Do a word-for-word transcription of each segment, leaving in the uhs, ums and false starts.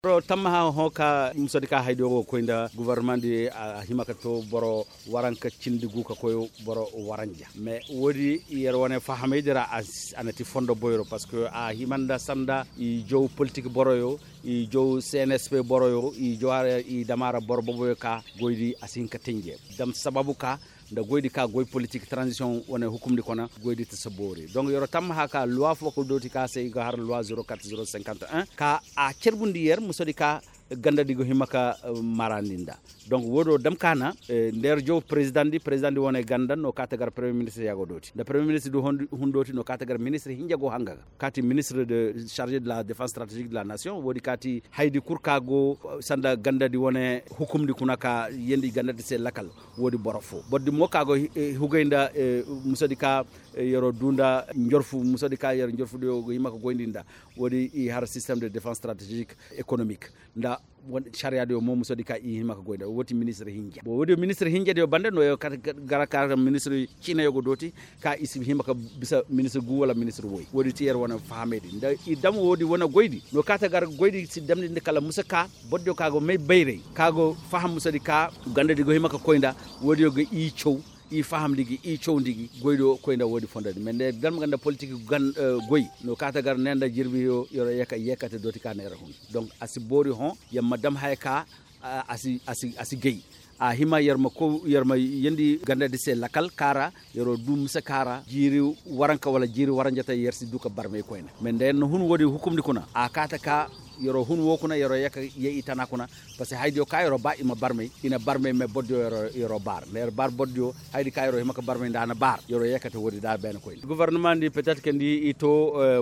Tammaha hõ ka musadi ka haydiyo go ga koy nda gobornamandi a hima ka to boro waranka cindi gu ka koy boro waranja mais woodi yer wane fahamaydi ra a na ti fondo boyro parceque a hima nda sanda i jaw politik boroyo, i jaw cnsp boroyo i jaw a ra i dam a ra boro boboyo ka goydi a si hin ka tenje dam sababu ka nda goydi ka goy politik tranzisiyoŋ wane hukumdi kuna goydi ta si boori donk yer'o tammaha ka luwa fo ka dooti ka se i ga har luwa zero kat zero cinquante un ka a carbundi yer musadi ka gandadi go hima ka marandi nda donk woodo dam ka na nda yer jaw perezidandi perezidandi wane ganda no ka ta gar premier ministir ya go dooti nda premier ministir du hun dooti no ka ta gar ministir hinja go hanga ga ka ti ministir de charge de la defense strategique de la nation woodi ka ti haydi kul ka go sanda gandadi wane hukumdi kuna ka yeendi gandadi se lakal woodi boro foo borodi mo ka go hugay nda musadi ka yer'o duu nda njorfu musadi ka yer njorfudiyo go hima ka goyndi nda woodi i har system de defense strategique économique nda sariyaadiyo mo musadi ka i hima ka goy nda woodi ministir hinja bon woodiyo ministir hinjadiyo banda no yer kate gara ka ministir ciinayo go dooti ka i si hima ka bisa ministir gu wala ministir woy woodi ti yer wane fahamaydi nda i dam woodi wane goydi no ka ta gar goydi si damndi nda kala musa ka borodiyo ka go may bayray ka go faham musadi ka gandadi go hima ka koy nda woodiyo ga i caw i fahamndi gi i cawndi gi goydiyo koy nda woodi fondodi mais nda yer dam ga nda politik goy no ka ta gar ne nda jirbiyo yer'o yee ka yeekate dooti ka na yer hun donk a si boori hõ yer ma dam haya ka a si gay a hima yer ma yeendi gandadi se lakal ka ra yer'o duu mise ka ra jiiri waranka wala jiiri waranjatey yer si duu ka barmay koyne mais nda yer na hun woodi hukumdi kuna a kaate ka yer'o hun woo kuna yer'o yee ka yee i tana kuna parceque haydiyo ka yer'o ba i ma barmay i na barmay mais borodiyo yer'o baar nda yer baar borodiyo haydi ka yer'o hima ka barmay nda a na baar yer'o yee ka te woodi nda a beene koyne gobornamandi petet ka nda i to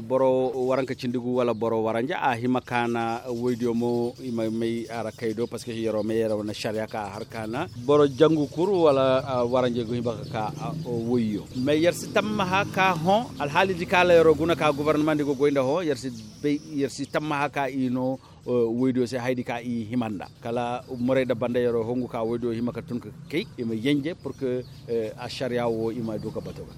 boro waranka cindi gu wala boro waranja a hima ka na woydiyo mo i ma may a ra kay do parceque yer'o may yer'o na sariya ka a har ka na boro jangu kul wala waranja go hima ka ka woyyo mais yer si tammaha ka hõ alhaalidi ka la yer'o guna ka gobornamandi go goy nda hõ yer si bay yer si tammaha ka i noo woydiyo se hayadi ka i hima nda kala morayda banda yer'o hongu ka woydiyo hima ka tun ka kay i ma yenje pur que a sariya woo i ma du ka bato ga